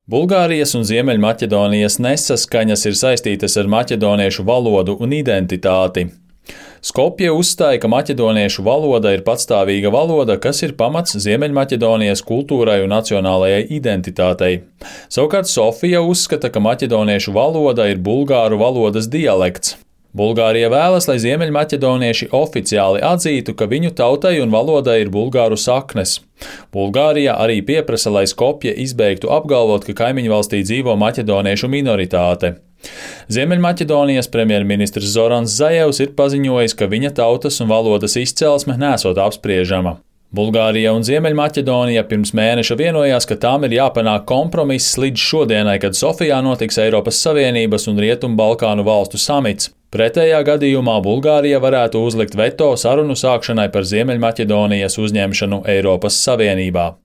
Bulgārijas un Ziemeļmaķedonijas nesaskaņas ir saistītas ar maķedoniešu valodu un identitāti. Skopje uzstāja, ka maķedoniešu valoda ir patstāvīga valoda, kas ir pamats Ziemeļmaķedonijas kultūrai un nacionālajai identitātei. Savukārt Sofija uzskata, ka maķedoniešu valoda ir bulgāru valodas dialekts. Bulgārija vēlas, lai ziemeļmaķedonieši oficiāli atzītu, ka viņu tautai un valodai ir bulgāru saknes. Bulgārija arī pieprasa, lai Skopje izbeigtu apgalvot, ka kaimiņvalstī dzīvo maķedoniešu minoritāte. Ziemeļmaķedonijas premjerministrs Zorans Zajevs ir paziņojis, ka viņa tautas un valodas izcelsme nesot apspriežama. Bulgārija un Ziemeļmaķedonija pirms mēneša vienojās, ka tām ir jāpanāk kompromiss līdz šodienai, kad Sofijā notiks Eiropas Savienības un Rietumbalkānu valstu samits. Pretējā gadījumā Bulgārija varētu uzlikt veto sarunu sākšanai par Ziemeļmaķedonijas uzņemšanu Eiropas Savienībā.